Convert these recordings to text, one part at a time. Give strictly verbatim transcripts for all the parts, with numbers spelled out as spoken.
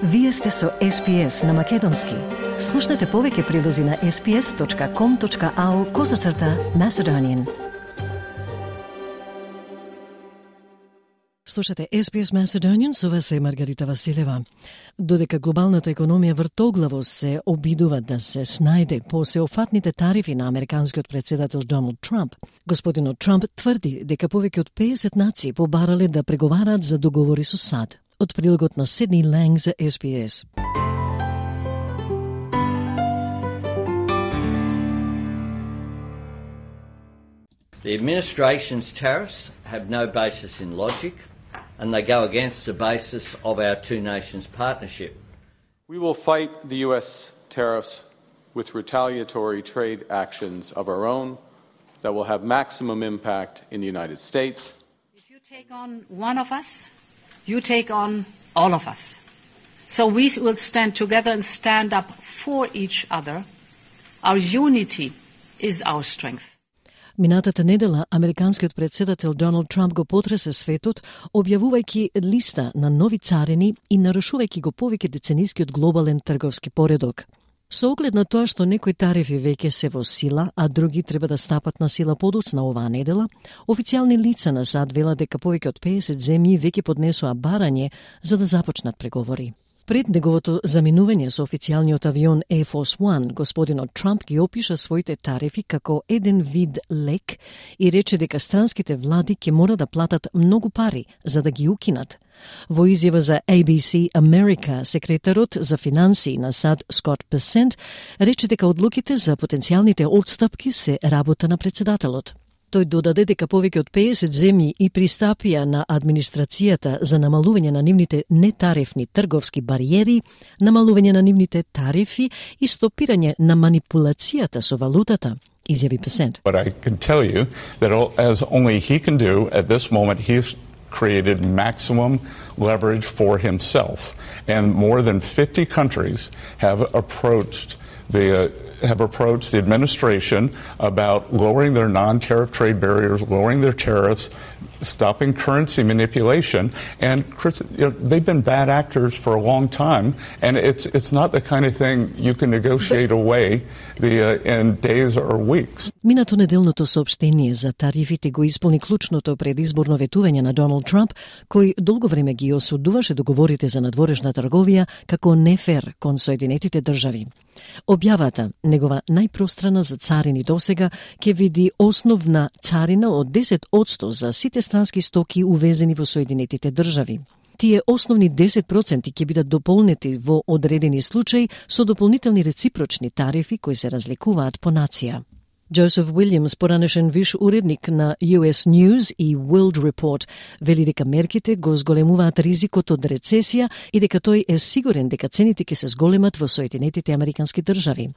Вие сте со Ес Би Ес на Македонски. Слушнете повеќе прилози на ес би ес точка ком точка ау козацрта Macedonian. Слушате Ес Би Ес Macedonian, со вас е Маргарита Василева. Додека глобалната економија вртоглаво се обидува да се снајде по сеопфатните тарифи на американскиот председател Доналд Трамп, господинот Трамп тврди дека повеќе од педесет нации побарале да преговараат за договори со САД. Од прилогот на Сидни Ланг за Ес Би Ес. The administration's tariffs have no basis in logic, and they go against the basis of our two nations partnership. We will fight the U S tariffs with retaliatory trade actions of our own that will have maximum impact in the United States. If you take on one of us, you take on all of us. So we will stand together and stand up for each other. Our unity is our strength. Минатата недела, американскиот председател Доналд Трамп го потресе светот, објавувајќи листа на нови царини и нарушувајќи го повеќе деценискиот глобален трговски поредок. Со оглед на тоа што некои тарифи веќе се во сила, а други треба да стапат на сила подоцна оваа недела, официјални лица на САД велат дека повеќе од педесет земји веќе поднесоа барање за да започнат преговори. Пред неговото заминување со официјалниот авион Air Force One, господинот Трамп ги опиша своите тарифи како еден вид лек и рече дека странските влади ќе мора да платат многу пари за да ги укинат. Во изјава за Ей Би Си America, секретарот за финансии на САД Скот Бесент рече дека одлуките за потенцијалните отстапки се работа на председателот. Тој додаде дека повеќе од педесет земји и пристапија на администрацијата за намалување на нивните нетарифни трговски бариери, намалување на нивните тарифи и стопирање на манипулацијата со валутата, изјави Бесент. But I can tell you that as only he can do at this moment, he's created maximum leverage for himself. And more than fifty countries have approached the uh, have approached the administration about lowering their non-tariff trade barriers, lowering their tariffs, stopping currency manipulation, and you know, they've been bad actors for a long time, and it's it's not the kind of thing you can negotiate away the, uh, in days or weeks. Минато неделното соопштение за тарифите го исполни клучното предизборно ветување на Доналд Трамп, кој долго време ги осудуваше договорите за надворешна трговија како нефер кон Соединетите држави. Објавата, негова најпространа за царини досега, ќе види основна царина од десет одсто за сите странски стоки увезени во Соединетите држави. Тие основни десет проценти ќе бидат дополнети во одредени случаи со дополнителни реципрочни тарифи кои се разликуваат по нација. Джозеф Уилјамс, поранешен виш уредник на Ю Ес News и World Report, вели дека мерките го зголемуваат ризикот од рецесија и дека тој е сигурен дека цените ќе се зголемат во Соединетите Американски држави.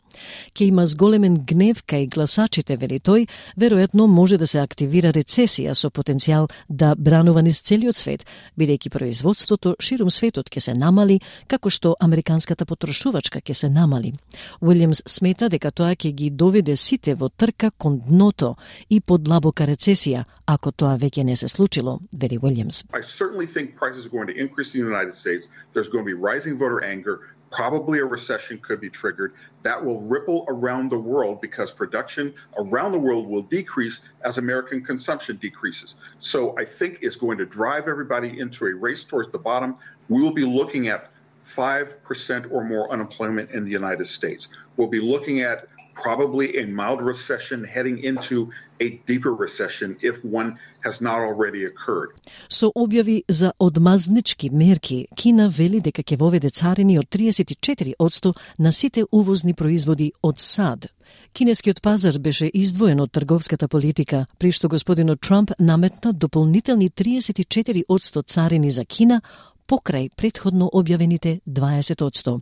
Ке има зголемен гнев кај гласачите, вели тој, веројатно може да се активира рецесија со потенцијал да бранува низ целиот свет, бидејќи производството ширум светот ќе се намали, како што американската потрошувачка ќе се намали. Уилјамс смета дека тоа ќе ги доведе сите во трка кон дното и подлабока рецесија, ако тоа веќе не се случило, вели Уилјамс. I certainly think prices are going to increase in the United States. There's going to be rising voter anger. Probably a recession could be triggered. That will ripple around the world because production around the world will decrease as American consumption decreases. So I think it's going to drive everybody into a race towards the bottom. We will be looking at five percent or more unemployment in the United States. We'll be looking at probably a mild recession heading into a deeper recession if one has not already occurred. Со објави за одмазнички мерки, Кина вели дека ќе воведе царини од триесет и четири одсто на сите увозни производи од САД. Кинескиот пазар беше издвоен од трговската политика, при што господинот Трамп наметна дополнителни триесет и четири одсто царини за Кина покрај претходно објавените дваесет одсто.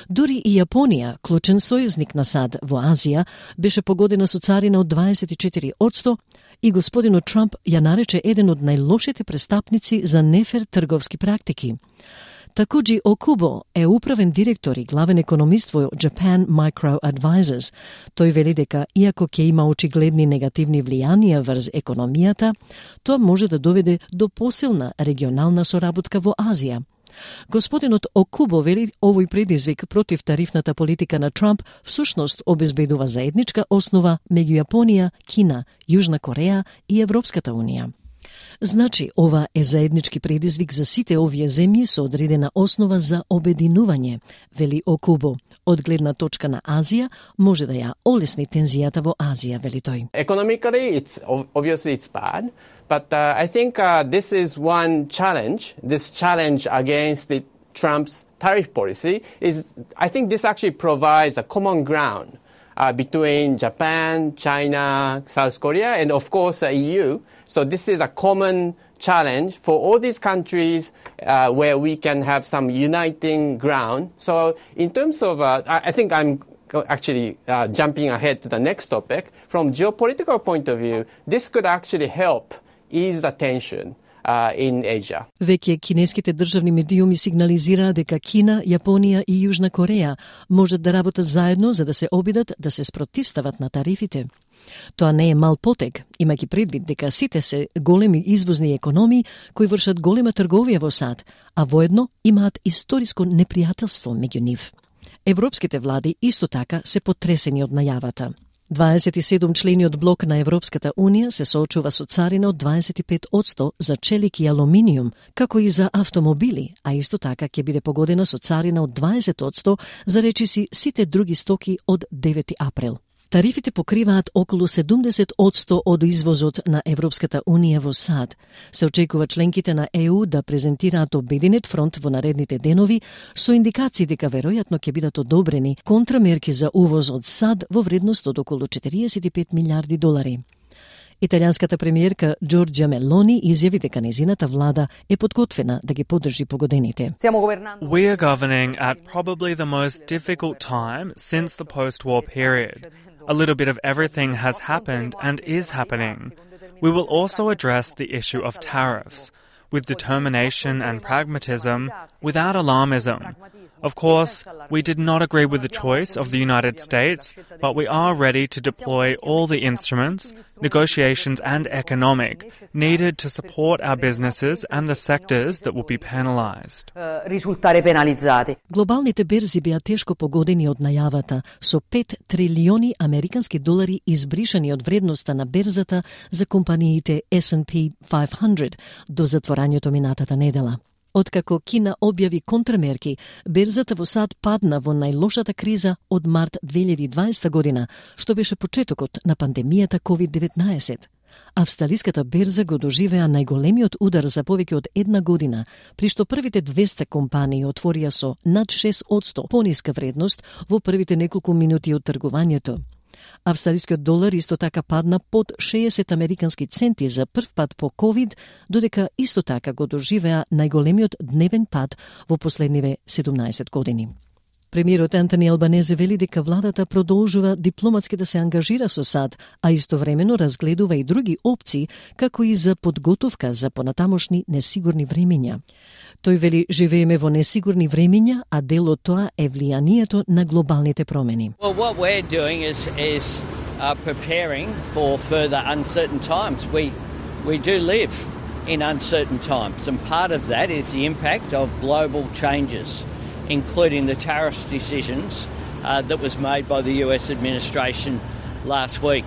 Дури и Јапонија, клучен сојузник на САД во Азија, беше погодена со царина од дваесет и четири одсто и господинот Трамп ја нарече еден од најлошите престапници за нефер трговски практики. Такуджи Окубо е управен директор и главен економист во Japan Micro Advisors. Тој вели дека, иако ќе има очигледни негативни влијанија врз економијата, тоа може да доведе до посилна регионална соработка во Азија. Господинот Окубо вели овој предизвик против тарифната политика на Трамп всушност обезбедува заедничка основа меѓу Јапонија, Кина, Јужна Кореја и Европската унија. Значи, ова е заеднички предизвик за сите овие земји со одредена основа за обединување, вели Окубо. Од гледна точка на Азија, може да ја олесни тензијата во Азија, вели тој. Economically, it's obviously it's bad, but uh, I think uh, this is one challenge. This challenge against the Trump's tariff policy is, I think this actually provides a common ground uh, between Japan, China, South Korea, and of course the E U. So this is a common challenge for all these countries uh, where we can have some uniting ground. So in terms of, uh, I, I think I'm actually uh, jumping ahead to the next topic. From geopolitical point of view, this could actually help ease the tension uh, in Asia. Веќе кинеските државни медиуми сигнализираа дека Кина, Јапонија и Јужна Кореја можат да работат заедно за да се обидат да се спротивстават на тарифите. Тоа не е мал потег, имајќи предвид дека сите се големи извозни економии кои вршат голема трговија во САД, а воедно имаат историско непријателство меѓу нив. Европските влади исто така се потресени од најавата. дваесет и седум члени од блок на Европската унија се соочува со царина од дваесет и пет одсто за челик и алуминиум, како и за автомобили, а исто така ќе биде погодена со царина од дваесет одсто за речиси сите други стоки од девети април. Тарифите покриваат околу седумдесет одсто од извозот на Европската унија во САД. Се очекува членките на Е У да презентираат обединет фронт во наредните денови со индикации дека веројатно ќе бидат одобрени контрамерки за увоз од САД во вредност од околу четириесет и пет милиарди долари. Италијанската премиерка Джорџја Мелони изјави дека незината влада е подготвена да ги поддржи погодените. We are governing at probably the most difficult time since the post-war period. A little bit of everything has happened and is happening. We will also address the issue of tariffs with determination and pragmatism, without alarmism. Of course, we did not agree with the choice of the United States, but we are ready to deploy all the instruments, negotiations and economic, needed to support our businesses and the sectors that will be penalized. Глобалните берзи беа тешко погодени од најавата, со пет трилиони американски долари избришани од вредноста на берзата за компаниите Ес енд Пи петстотини до затворањето минатата недела. Откако Кина објави контрамерки, берзата во САД падна во најлошата криза од март две илјади и дваесета година, што беше почетокот на пандемијата ковид деветнаесет. Австралиската берза го доживеа најголемиот удар за повеќе од една година, при што првите двеста компании отворија со над шест одсто пониска вредност во првите неколку минути од тргувањето. Австралискиот долар исто така падна под шеесет американски центи за прв пат по ковид, додека исто така го доживеа најголемиот дневен пад во последниве седумнаесет години. Премиерот Антони Албанезе вели дека владата продолжува дипломатски да се ангажира со САД, а истовремено разгледува и други опции, како и за подготовка за понатамошни несигурни времења. Тој вели, живееме во несигурни времења, а дел од тоа е влијанието на глобалните промени. Well, what we're doing is, is uh, preparing for further uncertain times. We, we do live in uncertain times, and part of that is the impact of global changes, including the tariffs decisions uh, that was made by the U S administration last week.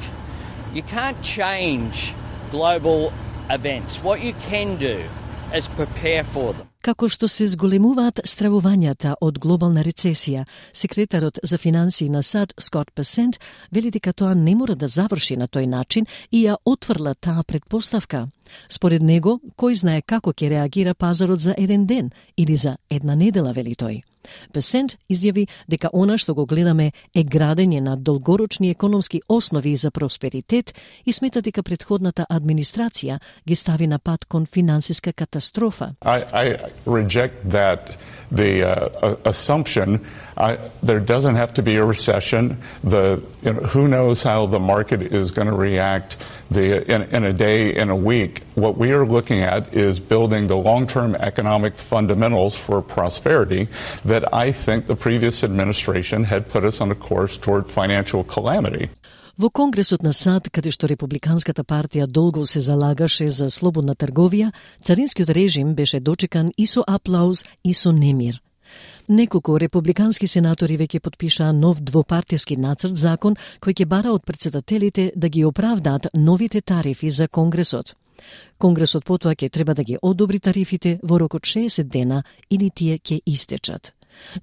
You can't change global events. What you can do is prepare for them. Како што се зголемуваат стравувањата од глобална рецесија, секретарот за финансии на САД Скот Бесент вели дека тоа не мора да заврши на тој начин и ја отврла таа предпоставка. Според него, кој знае како ќе реагира пазарот за еден ден или за една недела, вели тој. Бесент изјави дека она што го гледаме е градење на долгорочни економски основи за просперитет и смета дека претходната администрација ги стави на пат кон финансиска катастрофа. I, I reject that the uh, assumption. I, there doesn't have to be a recession. The you know, who knows how the market is going to react the, in, in a day, in a week. What we are looking at is building the long-term economic fundamentals for prosperity that I think the previous administration had put us on a course toward financial calamity. Во Конгресот на САД, каде што Републиканската партија долго се залагаше за слободна трговија, царинскиот режим беше дочекан и со аплауз и со немир. Неколку републикански сенатори веќе потпишаа нов двопартиски нацрт закон кој ќе бара од претседателите да ги оправдаат новите тарифи за Конгресот. Конгресот потоа ќе треба да ги одобри тарифите во рок од шеесет дена или тие ќе истечат.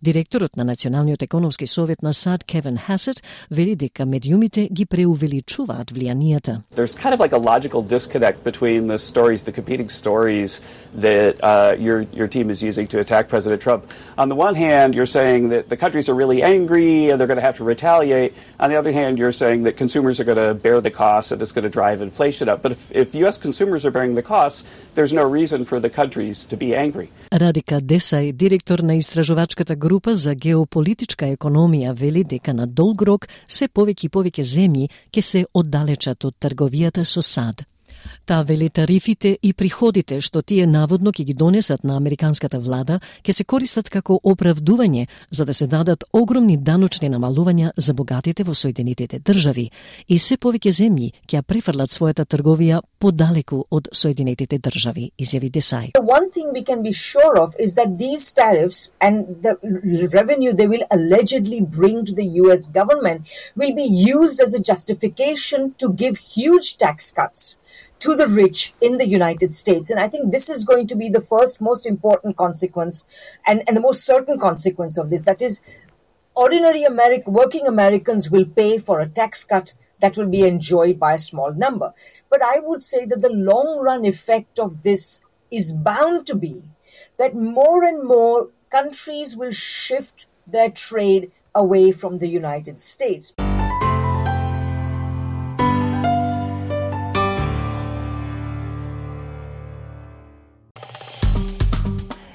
Директорот на Националниот економски совет на САД, Кевин Хасет, вели дека медиумите ги преувеличуваат влијанијата. There's kind of like a logical disconnect between the stories, the competing stories that uh, your your team is using to attack President Trump. On the one hand, you're saying that the countries are really angry and they're going to have to retaliate. On the other hand, you're saying that consumers are going to bear the costs and it's going to drive inflation up. But if, if U S consumers are bearing the costs, there's no reason for the countries to be angry. Радика Десај, директор на истражувачката група за геополитичка економија, вели дека на долг рок се повеќе и повеќе земји ќе се оддалечат од трговијата со САД. Таа вели тарифите и приходите што тие наводно ќе ги донесат на американската влада ќе се користат како оправдување за да се дадат огромни даночни намалувања за богатите во Соединетите држави и се повеќе земји ќе ја префрлат својата трговија подалеку од Соединетите држави, изјави Десај. The one thing we can be sure of is that these tariffs and the revenue they will allegedly bring to the U S government will be used as a justification to give huge tax cuts to the rich in the United States. And I think this is going to be the first most important consequence and, and the most certain consequence of this. That is, ordinary American, working Americans will pay for a tax cut that will be enjoyed by a small number. But I would say that the long run effect of this is bound to be that more and more countries will shift their trade away from the United States.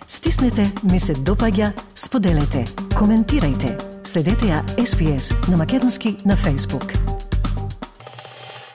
Стиснете, ми се допаѓа, споделете, коментирајте. Следете ја Ес Би Ес на македонски на Facebook.